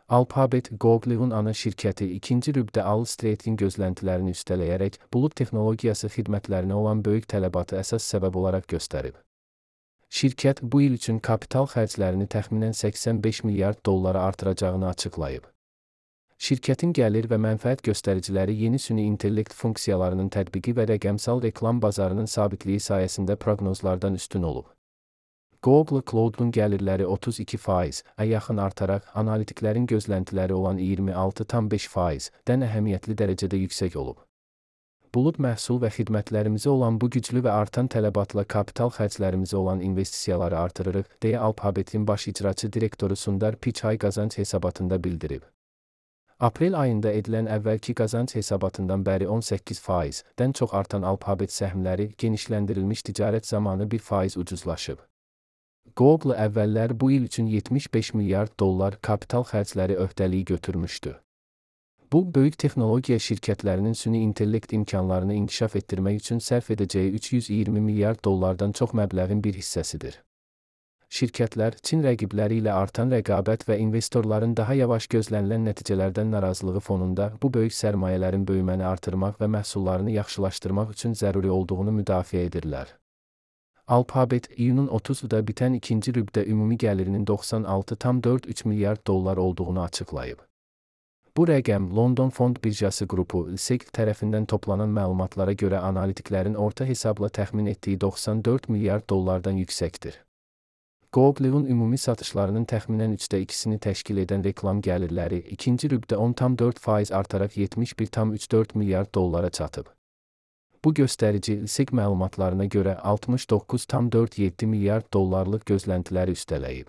Alphabet, Google'un ana şirkəti ikinci rübdə Wall Street-in gözləntilərini üstələyərək, bulut texnologiyası xidmətlərinə olan böyük tələbatı əsas səbəb olaraq göstərib. Şirkət bu il üçün kapital xərclərini təxminən 85 milyard dollara artıracağını açıqlayıb. Şirkətin gəlir və mənfəət göstəriciləri yeni süni intellekt funksiyalarının tətbiqi və rəqəmsal reklam bazarının sabitliyi sayəsində proqnozlardan üstün olub. Google Cloud'un gəlirləri 32%-ə yaxın artaraq, analitiklərin gözləntiləri olan 26,5%-dən əhəmiyyətli dərəcədə yüksək olub. Bulut məhsul və xidmətlərimizə olan bu güclü və artan tələbatla kapital xərclərimizə olan investisiyaları artırırıq, deyə Alphabet'in baş icraçı direktoru Sundar Pichai qazanc hesabatında bildirib. Aprel ayında edilən əvvəlki qazanc hesabatından bəri 18%-dən çox artan Alphabet səhmləri genişləndirilmiş ticarət zamanı 1% ucuzlaşıb. Google əvvəllər bu il üçün 75 milyard dollar kapital xərcləri öhdəliyi götürmüşdü. Bu, böyük texnologiya şirkətlərinin süni intellekt imkanlarını inkişaf etdirmək üçün sərf edəcəyi 320 milyard dollardan çox məbləğin bir hissəsidir. Şirkətlər, Çin rəqibləri ilə artan rəqabət və investorların daha yavaş gözlənilən nəticələrdən narazılığı fonunda bu böyük sərmayələrin böyüməni artırmaq və məhsullarını yaxşılaşdırmaq üçün zəruri olduğunu müdafiə edirlər. Alphabet, iyunun 30-da bitən ikinci rübdə ümumi gəlirinin 96,43 milyard dollar olduğunu açıqlayıb. Bu rəqəm, London Fond Birjası qrupu (LSEG) tərəfindən toplanan məlumatlara görə analitiklərin orta hesabla təxmin etdiyi 94 milyard dollardan yüksəkdir. Google'un ümumi satışlarının təxminən 2/3-ni təşkil edən reklam gəlirləri ikinci rübdə 10,4% artaraq 71,34 milyard dollara çatıb. Bu göstərici, LSEG məlumatlarına görə 69,47 milyard dollarlıq gözləntiləri üstələyib.